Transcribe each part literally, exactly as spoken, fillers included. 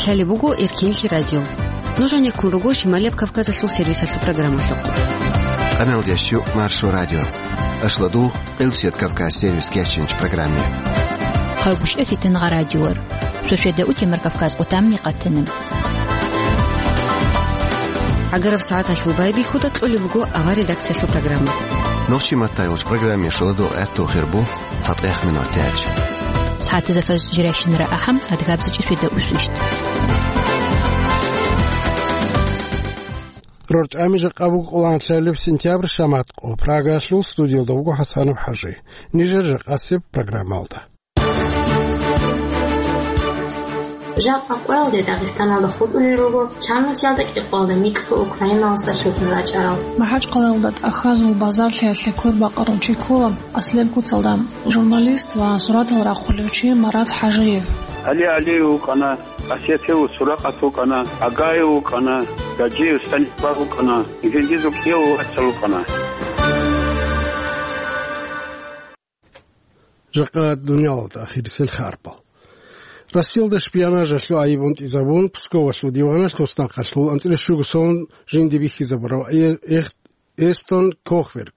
Лъалеб буго Эркенлъи радио. Нуж гьанеккун руго Шималияб Кавказалъул сервисалъул программалъухъ. Къаналдиясчу Маршо радио. Ашладу, Къилсият Кавказ сервис кечинч программе. Хъагушев Фитингъа радиор. Шошеда утемар Кавказ къутамни къатана. ГӀагараб сагӀаталъул байбихьуда кьолеб буго авар редакциялъул программа. Нохчи маттайулч программе шоладу гӀатту хирбу. ЦатӀехъ минутач. СагӀатазда фажр жирайщинара ахӀам, адгабзачӀи шведа усвищ. РорчӀами жакъа буго къоланлъалеб сентябрь шаматкъо. Прагалъул студиялда вуго ХӀасанов ХӀажи. Нижер жакъасеб программалда. Жакъа къоялде Дагъистаналда хутӀулел руго, чанусиялда кӀикъоялда микьго Украиналдаса лъутун рачӀарал. МахӀачкъалаялда тӀахьазул базарлъиялъе квербакъарав чи ккола аслияб куцалда, журналист ва суратал рахъулев чи Марат ХӀажиев. ГӀали ГӀалиев вукӀана, Асиятев Суракъат вукӀана, Агаев вукӀана, Гаджиев Станислав вукӀана, жиндизул кӀияв вацал вукӀана. Жакъа дуниялалда ахирисел харпал. Россиялда шпионажалъул айиб унтӀизабун, Псковалъул диваналъ туснахъалъул анцӀила щуго сон жинди бихьизабурав э-, эх-, Эстон Кохвер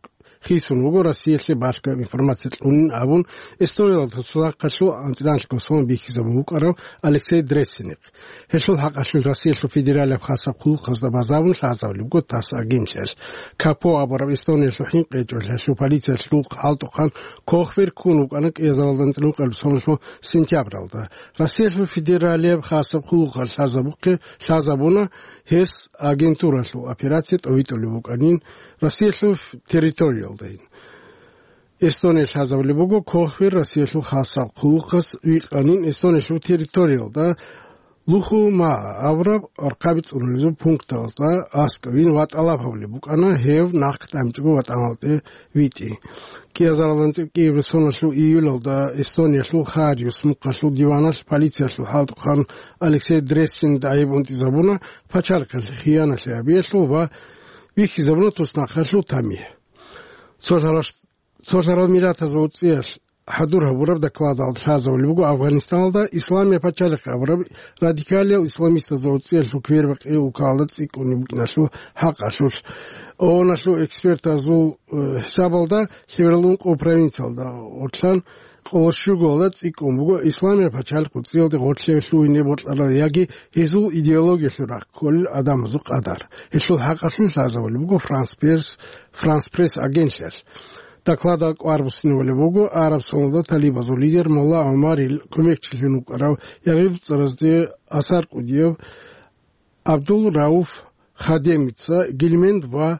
хисун вуго Россиялъе балъго информация кьунин абун, Эстониялда туснахъалъул анцӀила щуго сон бихьизабун вукӀарав Алексей Дрессинихъ. Гьелъул хӀакъалъулъ Россиялъул федералияб хасаб хъулухъазда базабун лъазабулеб буго ТАСС агентлъиялъ. Капо абураб Эстониялъул хӀинкъичӀолъиялъул полициялъул хӀалтӀухъан Кохвер ккун вукӀана кӀиазаралда анцӀила ункъабилеб соналъул сентябралда. Россиялъул федералияб хасаб хъулухъалъ лъазабухъе-, лъазабуна гьес агентуралъул операция тӀовитӀулеб букӀанин Россиялъул территориялдайин. Эстония лъазабулеб буго, Кохвер Россиялъул хасал хъулухъас викъанин Эстониялъул территориялда Лухума авраб архъаби цӀунулезул пункталда аскӀовин ва тӀалаб гьабулеб букӀана гьев нахъ тӀамичӀого ватӀаналде витӀи. КӀиазаралда анцӀила кӀиабилеб соналъул июлалда Эстониялъул Хариус мухъалъул диваналъ полициялъул хӀалтӀухъан Алексей Дрессин дагӀиб унтӀизабуна пачалихъалъе хияналъи гьабиялъул ва вихьизабуна туснахъалъул тамихӀ. Цо лъаралъ Цо лъарал миллатазул цӀиялъ хӀадур гьабураб докладалда лъазабулеб буго Афганистаналда Исламияб пачалихъ абураб радикалиял исламистазул цӀиялъул квербакъи улкалда цӀикӀкӀунеб букӀиналъул хӀакъалъулъ. ООНалъул экспертазул, э, хӀисабалда лъеберал ункъо провинциялда гъорлъан къоло щуголда цӀикӀкӀун буго Исламияб пачалихъ цӀиялде гъорлъе лъугьине бокьарал яги гьезул идеологиялъул рахъ кколел гӀадамазул къадар. Гьелъул хӀакъалъулъ лъазабулеб буго Франс Пресс, Франс Пресс агентлъиялъ. Докладал кӀвар буссинабулеб буго араб соналда талибазул лидер Молла ГӀумарил кумекчилъун вукӀарав ягъирлъцӀаразде асар кӀудияв Абдул Рауф Хадемица Гильмент ва,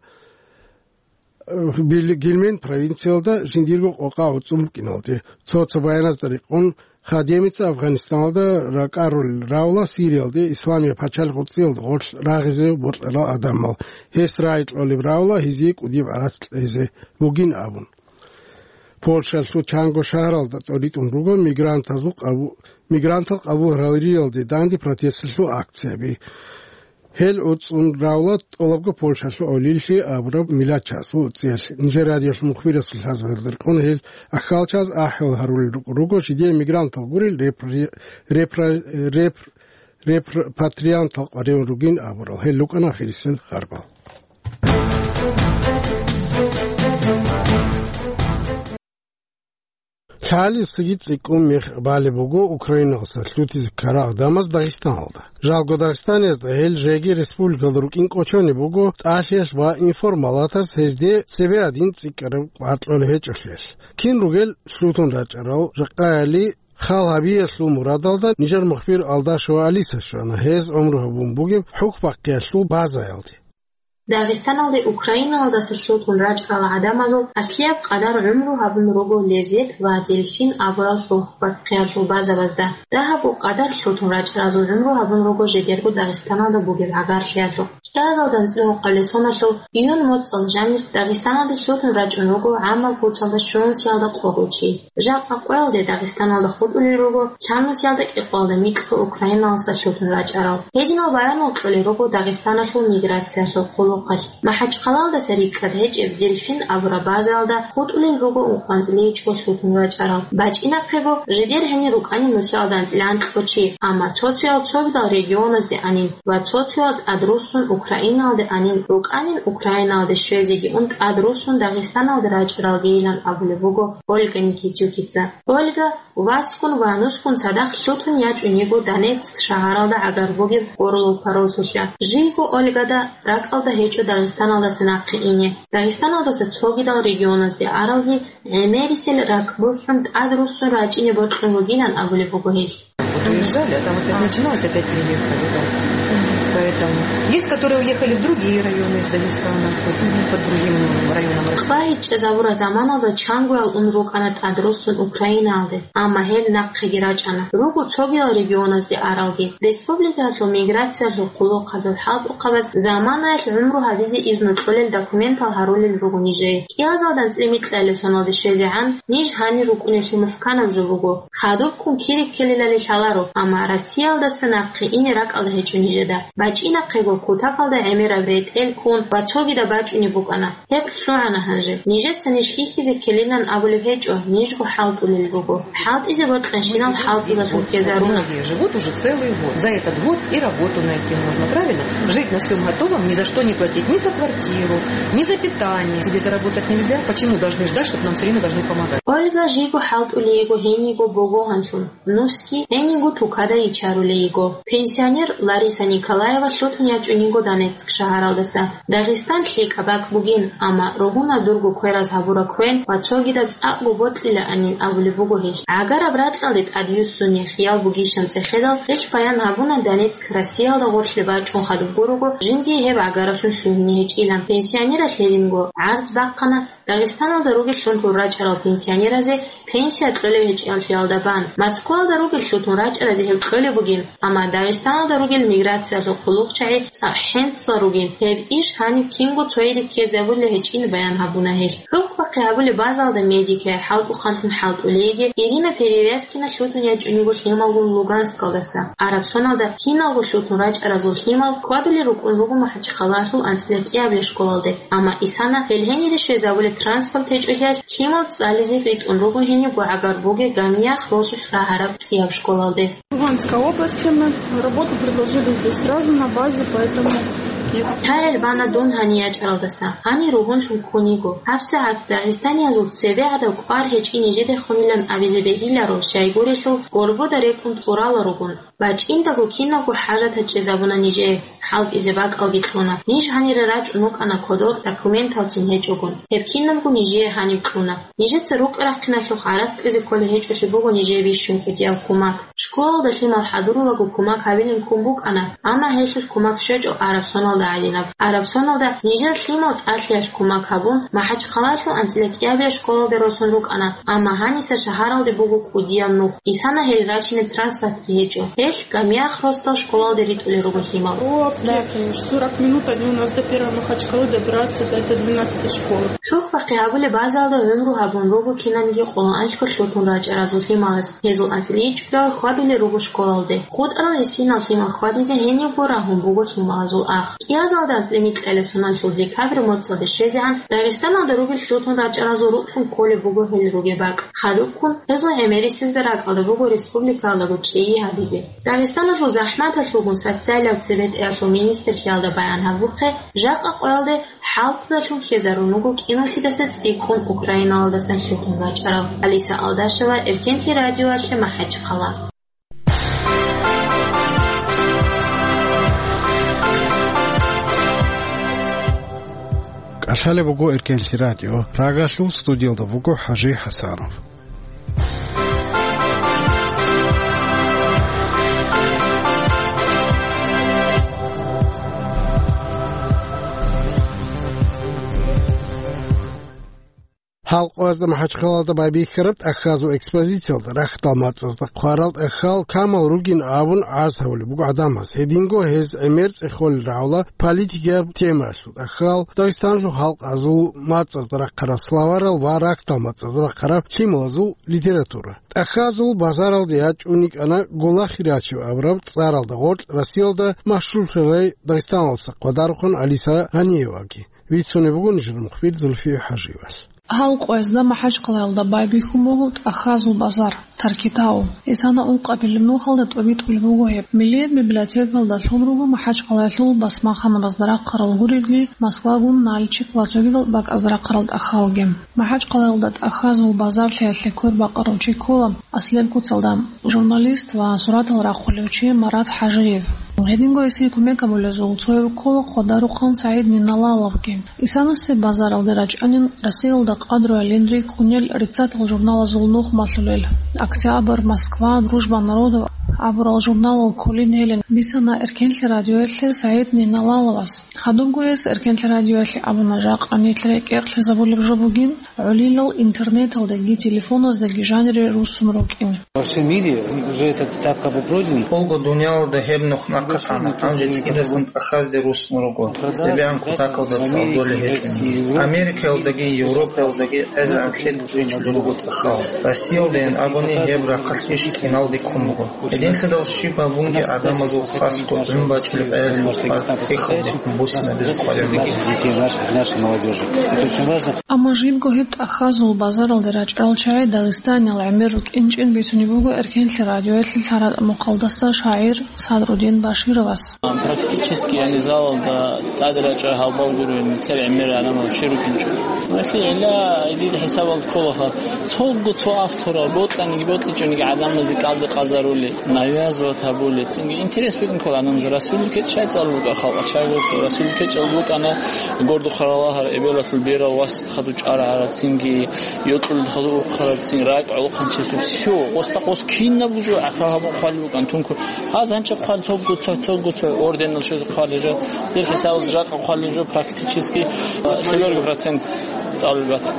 э, Бил-, Гильмент провинциялда жиндирго къокъа гӀуцӀун букӀиналде. Цо-цо баяназда рекъон, Хадемица Афганистаналда ракӀарулел равла Сириялде Исламияб пачалихъ цӀиялда гъорлъ рагъизе бокьарал гӀадамал. Гьес рагӀи кьолеб равла гьезие кӀудияб гӀарац кьезе бугин абун. Польшалъул чанго шагьаралда тӀоритӀун руго мигрантазул къабу-, мигрантал къабул гьариялде данде протесталъул акцияби. Гьел гӀуцӀун равла тӀолабго Польшалъул гӀолилъи абураб миллатчиясул цӀиялъ. Нижер радиоялъул мухбирасул лъазабазда рекъон гьел ахьалчияз ахӀвал гьарулел рукӀ-, руго, жидее мигрантал гурел репри-, репра-, реп-, репатриантал къваригӀун ругин абурал. Гьел рукӀана ахирисел харбал. Лъалисаги цӀикӀкӀун мех балеб буго Украиналдаса лъутизе ккарал гӀадамаз Дагъистаналда. Жалго Дагъистаниязда гьел жеги республикалда рукӀин кӀочонеб буго тӀалъиялъ ва информалатаз гьезде цебе гьадин цӀикӀкӀараб кӀвар кьолеб гьечӀолъиялъ. Кин ругел лъутун рачӀарал жакъаяли хал гьабиялъул мурадалда нижер мухбир Алдашева Алиса щвана гьез гӀумру гьабун бугеб ХӀукбахъиялъул базаялде. Дагъистаналде Украиналдаса лъутун рачӀарал гӀадамазул аслияб къадар гӀумру гьабун руго Лезет ва Дельфин абурал хӀукбахъиялъул базабазда. Дагьабго къадар лъутун рачӀаразул гӀумру гьабун руго жидерго Дагъистаналда бугеб гӀагарлъиялъухъ. КӀиазаралда анцӀила ункъабилеб соналъул июнь моцӀалда жанир Дагъистаналде лъутун рачӀун руго гӀаммаб куцалда щунусиялда къогъив чи. Жакъа къоялде Дагъистаналда хутӀулел руго чанусиялда кӀикъоялда микьго Украиналдаса лъутун рачӀарал. Гьединал баянал кьолел руго Дагъистаналъул миграциялъул хъулухъ. Махачкъалалдаса рикӀкӀад гьечӀеб Дельфин абураб базаялда хутӀулел руго ункъоялда анцӀила ичӀго лъутун рачӀарал. БачӀинахъего, жидер гьенир рукӀанин нусиялда анцӀила анкьго чи, амма цо-цоял цогидал регионазде анин ва цо-цоял тӀадруссун Украинаялде анин, рукӀанин Украинаялде щвезеги ун тӀадруссун Дагъистаналде рачӀаралгийилан абулеб буго Ольга Никитюкица. Ольга васгун ва нусгун цадахъ лъутун ячӀун йиго Донецк шагьаралда гӀагар бугеб Орлов паросулъа. Жийго Ольгада ракӀалда гьечӀо Дагъистаналдаса нахъе ине. Дагъистаналдаса цогидал регионазде аралги гӀемерисел ракӀ бухӀун тӀадруссун рачӀине бокьун бугилан абулеб буго гьелъ. Вот уезжали, а там опять начиналось, опять приехали, да. Поэтому есть, которые уехали в другие районы из Дагестана, вот, под другим районом России. Хва гьечӀезабураб заманалда чангоял ун рукӀана тӀадруссун Украинаялде, амма гьел нахъеги рачӀана. Руго цогидал регионазде аралги. Республикаялъул миграциялъул хъулухъалъул хӀалтӀухъабаз заманаялъ гӀумру гьабизе изну кьолел документал гьарулел руго нижее. КӀиазалда анцӀила микьабилеб соналде щвезегӀан ниж гьанир рукӀунеблъи мухӀканаб жо буго. Хадубккун кири ккелилали лъаларо, амма Россиялдаса нахъе ине ракӀалда гьечӀо нижеда. БачӀинахъего, кутакалда гӀемераб ретӀел ккун ва цогидаб бачӀунеб букӀана. Гьеб лъугӀана гьанже. Нижеца ниж хьихьизе ккелилан абулеб гьечӀо, нижго хӀалтӀулел руго. ХӀалтӀизе бокьанщинал хӀалтӀулалъун ккезаруна. Многие живут уже целый год. За этот год и работу найти можно, правильно? Жить на всём готовом, ни за что не платить, ни за квартиру, ни за питание. Себе заработать нельзя. Почему должны ждать, чтоб нам всё время должны помогать? Ольга жийго хӀалтӀулей йиго гьенийго богогьанлъун. Нусги гьениго тукада ичарулей йиго. Пенсионер Лариса Николаева лъутун ячӀун йиго Донецк шагьаралдаса. Дагъистан лъикӀаб бакӀ бугин, амма ругьуна дурго квераз гьабураб квен ва цогидаб цӀакъго бокьилаанин абулеб буго гьелъ. ГӀагараб ракьалде тӀадвуссунеб хиял бугищан цӀехедал, гьелъ баян гьабуна Донецк Россиялда гъорлъе бачӀун хадуб гурого, жиндие гьеб гӀагараблъун лъугьине гьечӀилан. Пенсионералъ гьединго гӀарз бахъана Дагъистаналда ругел лъутун рачӀарал пенсионеразе пенсия кьолеб гьечӀеб лъиялда бан. Москваялда ругел лъутун рачӀаразе гьеб кьолеб бугин, амма Дагъистаналда ругел миграциялъул хъулухъчагӀи цӀакъ хӀинцӀал ругин. Гьеб иш гьаниб кинго цойги ккезабулеб гьечӀин баян гьабуна гьелъ. ХӀукъбахъи гьабулеб базаялда медикай, хӀалтӀухъанлъун хӀалтӀулейги Ирина Перевязкина лъутун ячӀун йиго лъималгун Луганскалдаса. Араб соналда киналго лъутун рачӀаразул лъимал хьвадулел рукӀун руго МахӀачхъалалъул анцӀила кӀиабилеб школалде. Амма исана гьел гьенире щвезабулеб транспорт гьечӀолъиялъ, лъимал цӀализе ритӀун руго гьенибго гӀагар бугеб Гамиях росулъ рагьараб цӀияб школалде. Луганской области мы. Работу предложили здесь сразу на базе, поэтому нет. Тайил бана дун гьанив ячӀаралдаса, гьанир ругьунлъун ккун йиго. ГьабсагӀат дагъистаниязул цебе гӀадаб кӀвар гьечӀин нижедехунилан абизе бегьиларо, щайгурелъул горбуда рекӀун тӀурала ругун. БачӀиндаго киналго хӀажатал чӀезабуна нижее, хӀалтӀизе бакӀалги кьуна. Ниж гьанире рачӀун рукӀана кодоб документалцин гьечӀогун. Гьеб кинабго нижее гьаниб кьуна. Нижеца рукӀа-рахъиналъухъ гӀарац кьезе кколеб гьечӀолъи буго нижее бищун кӀудияв кумак. Школалда лъимал хӀадурулаго кумак гьабилин ккун букӀана, амма гьелъулъ кумак щвечӀо Араб соналда гӀадинаб. Араб соналда нижер лъимал тӀалъиялъ кумак гьабун, МахӀачхъалалъул анцӀила кӀиабилеб школалде росун рукӀана, амма гьаниса шагьаралде буго кӀудияв нух. Исана гьел рачине транспортги гьечӀо. Гьелъ Гамиях росдал школалде ритӀулел руго лъимал. О, да, конечно. Сорок минут они у нас до первой Махачкалы добираются, до этой двенадцатой школы. ХӀухьбахъи гьабулеб базаялда гӀумру гьабун руго кинабниги къоло анлъго лъутун рачӀаразул лъималаз. Гьезул анцӀила ичӀго хьвадулел руго школалде. ХутӀарал гьесинал лъимал хьвадизе гьенибго рагьун буго лъималазул ах. КӀиазалда анцӀила микьабилеб соналъул декабрь моцӀалде щвезегӀан Дагъистаналда ругел лъутун рачӀаразул рукълъун кколеб буго гьел ругеб бакӀ. Хадубккун, гьезул гӀемерисезда ракӀалда буго республикаялдаго чӀей гьабизе. Дагъистаналъул захӀматалъулгун социалияб цебетӀиялъул министрлъиялда баян гьабухъе, жакъа къоялде хӀалтӀудалъун хьезарун руго кӀиналъидаса цӀикӀкӀун Украиналдасан лъутун рачӀарал. Алиса Алдашева, Эркенлъи радиоялъе, МахӀачхъала. КӀалъалеб буго Эркенлъи радио. Прагалъул студиялда буго ХӀажи ХӀасанов. Гьалкъоязда МахӀачхъалаялда байбихьараб тӀахьазул экспозициялда рахьдал мацӀазда хъварал тӀахьал камал ругин абун гӀаз гьавулеб буго гӀадамаз. Гьединго гьез гӀемер цӀехолел рагӀула политикияб темаялъул тӀахьал, Дагъистаналъул халкъазул мацӀазда рахъарал словарал ва рахьдал мацӀазда рахъараб лъималазул литература. ТӀахьазул базаралде ячӀун йикӀана Гулахи рачев абураб цӀаралда гъоркь Россиялда машгьурлъарай Дагъистаналдаса хъвадарухъан Алиса Гъаниеваги. Бицунеб буго нижер мухбир Зульфия ХӀажиевалъ. Гьалкъоязда МахӀачхъалаялда байбихьун буго тӀахьазул базар, Таркитау. Исана ункъабилеб нухалда тӀобитӀулеб буго гьеб. Миллият библиотекалда лъун руго МахӀачхъалаялъул басмаханабазда рахъарал гурелги, Москвагун, Нальчик ва цогидал бакӀазда рахъарал тӀахьалги. МахӀачхъалаялда тӀахьазул базарлъиялъе квербакъарав чи ккола Аслен куцалда. Журналист ва суратал рахъулев чи Марат ХӀажиев. Гьединго гьесие кумек гьабулезул цояв ккола хъвадарухъан СагӀид Ниналаловги. Исанасе базаралде рачӀанин Россиялда къадру гӀелинри ккунел риццатал журналазул нух малъулел. «Октябрь», «Москва», «Дружба народов» абурал журналал кколин гьелин бицана Эркенлъи радиоялъе СагӀид Ниналаловас. Хадубго гьес Эркенлъи радиоялъе абуна, жакъа нилъ рекӀекълъизабулеб жо бугин, гӀолилал интернеталдаги телефоназдаги жанире руссун рукӀин. Во всем мире уже этот этап как бы пройден. Олго дуниялалда гьеб нух нахъа хъана, гьанже цӀидасан тӀахьазде руссун руго, цебегӀан кутакалда цӀалдолел гьечӀони. Америкаялдаги Европаялдаги гӀезегӀан хӀетӀ бичӀчӀулел руго тӀахьал. Россиялдайин абуни гьеб рахъалъ иш киналде ккун буго. Гьединлъидал щиб гьабунги гӀадамазул хасго гӀун бачӀулеб гӀелалъул хӀал гьехъалдехун буссинабизе кӀваригӀун буго. Детей наших, нашей молодёжи. Это очень важно. Амма жибго гьеб тӀахьазул базаралде рачӀарал чагӀи Дагъистаниял гӀемер рукӀинчӀин бицунеб буго Эркенлъи радиоялъе лъаратӀа мухъалдаса шагӀир Садрудин Башировас. Практически, яни, залалда тӀаде рачӀа гьалбал гурин, нилъер гӀемер гӀадамал щай рукӀинчӀо. Гьелъие гӀилла гьедин хӀисабалда кколаха. Цого цо авторал бокьаниги бокьичӀониги гӀадамазде кӀалдикъазарули, навязывать гьабули, цинги интерес букӀин ккола гӀадамазда. Расул Лукет щай цӀалул букӀа халкъ, щай гурхӀу? Расул Лукет чӀалул букӀана гордухъ ралагьар, эбелалъул берал вас хадур чӀарагӀара, цинги йокьулел хадур ухъараб, цин ракӀ гӀолохъанчиясул. Всё, къоста-къос кинаб жо гӀахьал гьабун хъвалеб букӀан тункур. Гьаз гьанча хъван цогго цо, цогго цо орденал щвезе хъвалеб жо. Дир хӀисабалда жакъа хъвалеб жо практически, э, цеберго процент цӀалулеб бата.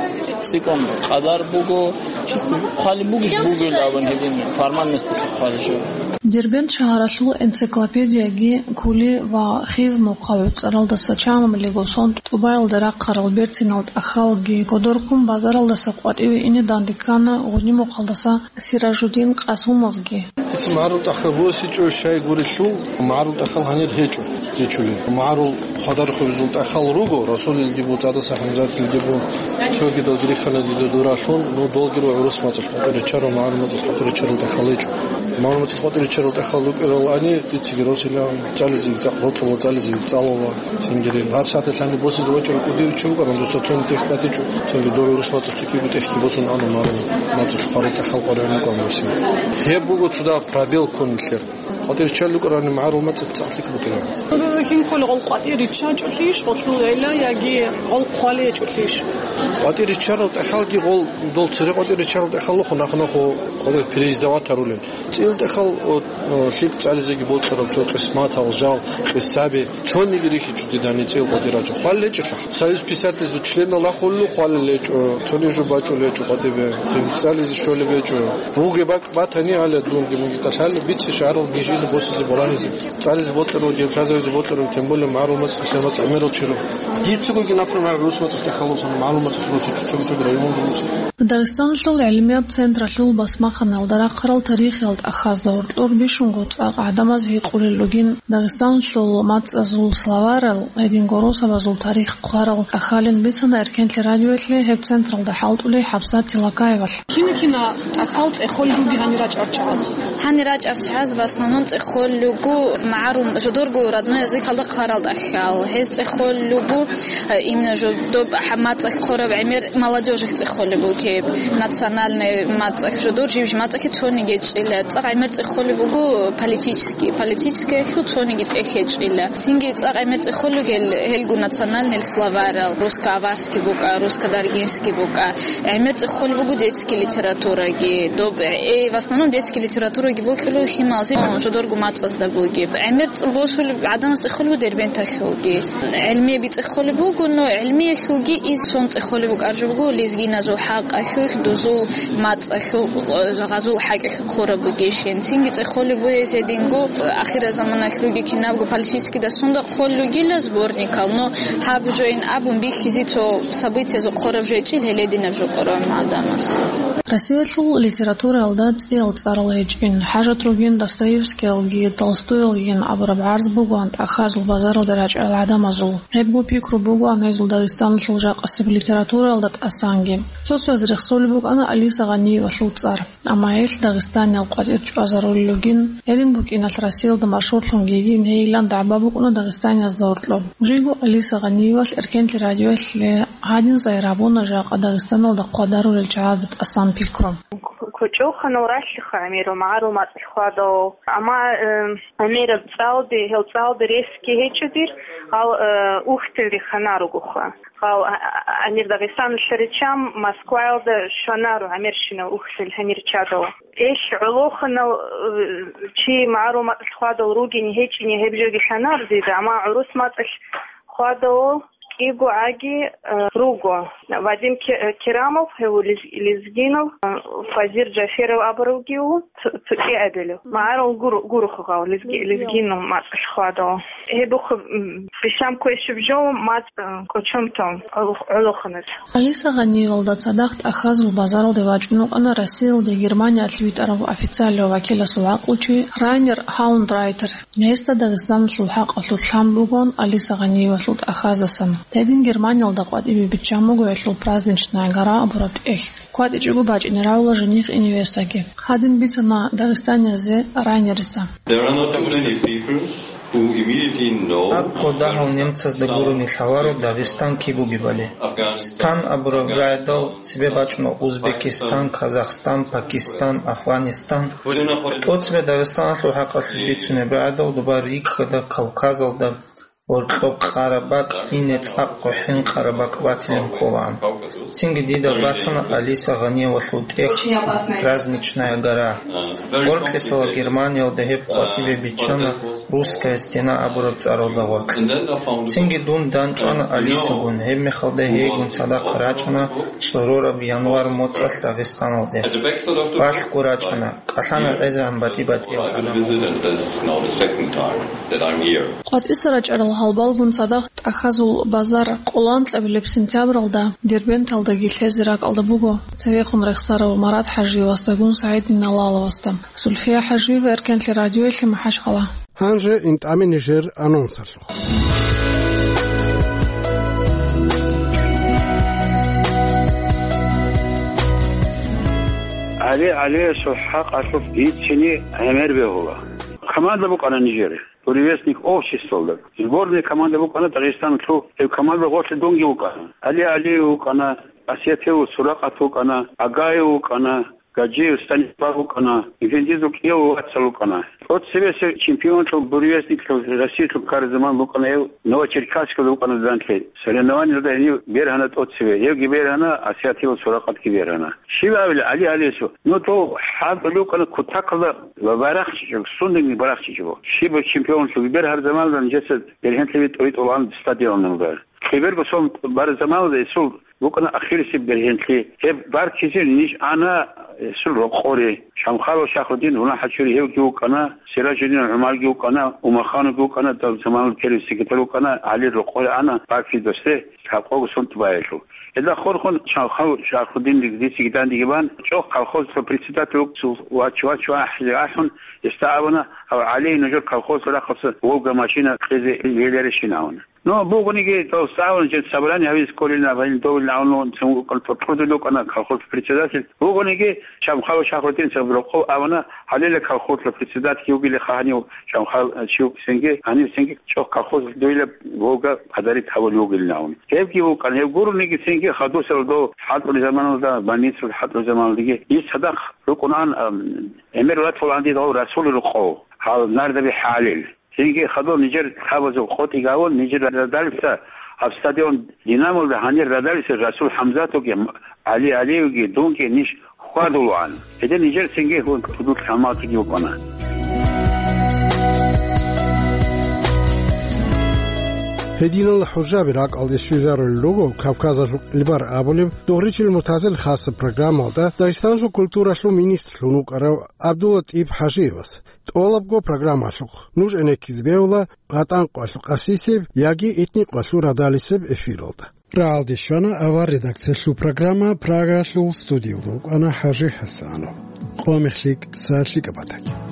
ЦӀикӀкӀун къадар буго, чисто хъвалеб бугеб бугел абун гьедин формальносталъе хъвалеб жо. Дербент шагьаралъул энциклопедияги кколи ва хив мухъав цӀаралдаса чамабилего сон тӀубаялда рахъарал берцинал тӀахьалги кодоркун базаралдаса къватӀиве ине данде ккана гъуни мухъалдаса Сиражудин Къасумовги. Дица магӀарул тӀахьал босичӀо, щай гурелъул, магӀарул тӀахьал гьанир гьечӀо дичулин. МагӀарул хъвадарухъубизул тӀахьал руго, Расулилги бу, ЦӀадаса ХӀамзатилги бу, цогидал грехьана дида дуралъун, ну, долги руго гӀурус мацӀалъ къватӀир риччарал, магӀарул мацӀалъ къватӀир риччарал тӀахьал гьечӀо. МагӀарул мацӀалъ къватӀир риччарал тӀахьал рукӀарал ани, дицаги росила, цӀализеги цӀакъ рокьула, цӀализеги цӀалула. Цингирин. Гьаб сагӀаталъ гьаниб босизе вачӀарав кӀудияв чи вукӀаран, досда цони тӀехь кӀватӀичӀо, цинги дов гӀурус мацӀалъ цо кӀиго тӀехьги босун ана магӀарул мацӀалъ хъварал тӀахьал къваригӀун вукӀан босин. Гьеб буго цо дагь пробел ккун нилъер. КъватӀир риччарал рукӀарани магӀарул мацӀалъ цӀакълъи букӀина. Гьеб хинкъули гъол къватӀир риччачӀулъищ, гъолъул гӀилла яги гъол хъвалечӀулъищ? КъватӀир риччарал тӀахьалги гъол, дол цере къватӀир риччарал тӀахьаллъухъун нахъ-нахъо къватӀир пересдавать гьарулел. ЦӀил тӀахьал, о, о, лъикӀ цӀализеги бокьараб цо къисматал, жал, къисаби, цониги рихьичӀо дидани цӀил къватӀир рачӀо. Хъвалел гьечӀелъа. Союз писателазул членал ахулел хъвалел гьечӀо, цониги жо бачӀулел гьечӀо къватӀибе, цин цӀализе щолеб гьечӀо. Бугеб бакӀ батани гьале дунги мунги кӀалъалев бице шагьарал гижида босизе балагьизе. ЦӀализе бокьарав, гьеб лъазавизе бокьарав, тем более магӀарул мацӀ, лъимал мацӀ гӀемерал чирав. Дица бугин, например, гӀурус мацӀалъ тӀахьаллъун, магӀарул мацӀалъ руцичӀо цоги чӀоги районал руцӀ. Дагъистаналъул гӀилмияб централъул басмаханалда рахъарал тарихиял тӀахьазда гьоркьор бищунго цӀакъ гӀадамаз гьикъулел ругин, Дагъистаналъул мацӀазул словарал, гьединго росабазул тарих хъварал тӀахьалин бицана Эркенлъи радиоялъе гьеб централда хӀалтӀулей ХӀабсат Тилакаевалъ. Кина-кина тӀахьал цӀехолел руги гьанир рачӀарал чагӀаз? Гьанир рачӀарал чагӀаз в основном цӀехолел руго магӀарул жодорго родной языкалда хъварал тӀахьал. Гьез цӀехолел руго, э, именно жо-, доб хӀа-, мацӀалъ хъвараб гӀемер молодёжалъ цӀехолеб бугеб, национальный мацӀалъ, жодор жиб-жиб мацӀалъе цониги гьечӀила. ЦӀакъ гӀемер цӀехолеб буго политический, политическиялъул цониги тӀехь гьечӀила. Цинги цӀакъ гӀемер цӀехолел гьел, гьелгун национальный словарал, русско-аварский букӀа, русско-даргинский букӀа. ГӀемер цӀехолеб буго детский литератураги. Доб-, э, в основном детский литератураги бокьулеб лъималазе, жодорго мацӀазда бугеб. ГӀемер цӀ-, босулеб гӀадамаз цӀехолеб буго Дербенталъулги. ГӀилмие бицӀехолеб буго, но гӀилмиялъулги ис цон цӀехолеб букӀаржо буго лезгиназул хӀакъалъулъ, дузул мацӀалъул, гъазул хӀакъалъулъ хъураб бугейщин. Цинги цӀехолеб бугез гьединго, ахирзаманалъулги кинабго политический дасунда хъвалел ругила сборникал, но гьаб жоин абун бихьизе цо событиязул хъураб жо гьечӀил гьелединаб жо къоран гӀадамаз. Россиялъул литератураялда цӀиял цӀарал гьечӀин, хӀажат ругин Достоевскиялгин, Толстоялгин абураб гӀарз бугоан тӀахьазул базаралда рачӀарал гӀадамазул. Гьебго пикру бугоан гьезул Дагъистаналъул жакъасеб литератураялда тӀасанги. Цо-цояз рехсолеб букӀана Алиса Гъаниевалъул цӀар, амма гьелъ Дагъистаниял къватӀир чӀвазарулел ругин, гьедин букӀиналъ Россиялда машгьурлъун гьейин гьейилан дагӀба букӀуна дагъистаниязда гьоркьоб. Жиго Алиса Гъаниевалъ Эркенлъи радиоялъе гьадин сайрабуна жакъа Дагъистаналда хъвадарулел чагӀазда тӀасан пикру. Кочоханал ралъиха гӀемерал магӀарул мацӀалъ хьвадал. Амма, э, гӀемераб цӀалби, гьел цӀалби ресги гьечӀо дир, гьал, э, ухтил рихана ругоха. Гьал, а, а, гьанир Дагъистаналъа риччан Москваялда щванаро гӀемерщинал ухтил гьанир чадал. Эш гӀолоханал, э, чи магӀарул мацӀалъ хьвадал ругин гьечӀин гьеб жоги лъанар дида, амма гӀурус мацӀалъ хьвадал кӀиго гӀаги, э, руго. Вадим Ке-, э, Керамов, гьев лез-, лезгинав, э, Фазир Джаферов абурав гьев, цо-, цо кӀиабилев. МагӀарул гур-, гурухъ гьав лезги-, лезгинав мацӀалъ хьвадав. Гьебухъ, м, бищан квешаб жо мацӀ, э, кӀочон тун гӀолох-, гӀолоханас. Алиса Гъаниевалда цадахъ тӀахьазул базаралде вачӀун вукӀана Россиялде Германиялъ витӀарав официалияв вакиласул гӀакълучи Райнер Хаундрайтер. Гьесда Дагъистаналъул хӀакъалъулъ лъан бугоан Алиса Гъаниевалъул тӀахьаздасан. Гьедин Германиялда къватӀибе биччан буго гьелъул праздничная гора абураб тӀехь. КватӀичӀого бачӀине рагӀула жених и невестаги. Гьадин бицана дагъистаниязе Райнерица. There are not too many people who immediately know Гьаб кодагьал немцазда гурони лъаларо Дагъистан киб бугебали. Стан абураб рагӀидал цебе бачӀуна Узбекистан, Казахстан, Пакистан, Афганистан. ТӀоцебе Дагъистаналъул хӀакъалъулъ бицунеб рагӀидал доба рикӀкӀада Кавказалда, гьоркьоб къарабакӀ, ине цӀакъго хӀинкъарабакӀ батилин кколаан. Цинги дида батана Алиса Гъаниевалъул тӀехь «Праздничная гора». Гьоркьисала Германиялда гьеб къватӀибе биччана «Русская стена» абураб цӀаралда гъоркь. Цинги дун данчӀвана Алисагун, гьебмехалда гьейгун цадахъ рачӀана цӀорораб январь моцӀалъ Дагъистаналде. Балъго рачӀана, кӀалъана гӀезегӀан батӀи-батӀиял гӀадамал. КъватӀиса рачӀарал гьалбалгун цадахъ тӀахьазул базар къоло анкьабилеб сентябралда Дербенталдаги лъезе ракӀалда буго цевехун рехсарав Марат ХӀажиевасдагун СагӀид Диналаловасда. Зульфия ХӀажиева, Эркенлъи радиоялъе, МахӀачхъала. Гьанже интӀаме нижер анонсалъухъ. ГӀали ГӀалиевасул хӀакъалъулъ бицини гӀемер бегьула. Команда букӀана нижер, «Буревестник» обществалда. Сборная команда букӀана Дагъистаналъул, гьеб команда гъорлъе дунги вукӀана. ГӀали ГӀалиев вукӀана, Асиятилов Суракъат вукӀана, Агаев вукӀана, Гаджиев Станислав вукӀана, Эфендизул кӀияв вацал вукӀана. ТӀоцебесеб чемпионлъун, буревестниклъун, Россиялъун ккараб заман букӀана гьев, Новочеркасскалда букӀана данлъи. Соревнованиялда гьенив бергьана тӀоцебе, гьевги бергьана, Асиятилов Суракъатги бергьана. Щиб абила ГӀали ГӀалиевасул? Ну, дов хӀалтӀулев вукӀана кутакалда ва барахчичӀого, сундани барахчичӀого. Щиб чемпионлъун бергьараб заманалда нижеца бергьенлъи тӀой-тӀолан стадионалда. Киберго сон бараб заманалда гьесул букӀана ахирисеб бергьенлъи. Гьеб баркизе ниж ана гьесул рокъоре. Шамхалов Шахрудин, Гьунал ХӀачури гьевги вукӀана, Сиражудин ГӀумарги вукӀана, Умахановги вукӀана, дав заманалда первый секретарь вукӀана, ГӀалир рокъоре ана, баркизе досде, лъабкъого сон тӀубаялъул. Гьелда хорхун Шамхалов Шахрудин дицаги дандеги бан, чӀохъ колхозалъул председатель вугев вач-вач ахӀи ахӀун, гьесда абуна, гьав ГӀали нужер колхозалъул рахъалъа «Волга» машина кьезе гьеларищин абуна. Ну, бугониги, дов цӀалун жин собрание гьавизе кколин абун, довилин абун, цун вукӀана, тӀуртӀурдул вукӀана колхоз председатель. Бугониги, Шамхалов Шахрудин цебе рокъов абуна, гьалила колхозалъул председатель вугилаха гьанив Шамхал, э, чи вукӀинги, гьанив цинги чӀохъ колхозалъ довила «Волга» подарить гьавулев вугилин абун. Гьебги вукӀана, гьеб гурониги цинги хадусел дов хӀалтӀулеб заманалда, больницалда хӀалтӀулеб заманалдаги, иш цадахъ рукӀунаан, ам, гӀемер ватулаан дидал Расул рокъов, гьал Нардаби ХӀалил. Цинги хадур нижер лъабазул къотӀи гавун, нижер радалица гьаб стадион «Динамолда» гьанир радалица Расул ХӀамзатовги, ГӀали ГӀалиевги, дунги ниж хьвадулаан. Гьедин нижер цинги гьун кутакалда гьалмагъчиги вукӀана. Гьединал хӀужаби ракӀалде щвезарулел руго Кавказалъул кьилбар абулеб Дугъричил Муртазил хасаб программалда Дагъистаналъул культуралъул министрлъун вукӀарав ГӀабдуллатӀиб ХӀажиевас. ТӀолабго программалъухъ нуж гӀенеккизе бегьула ГъатӀан къвалъ къасисеб яги этник къвалъул радалисеб эфиралда. Рагьалде щвана авар редакциялъул программа, Прагалъул студиялда вукӀана ХӀажи ХӀасанов. Къо мехлъи, са лъикӀаб батаги.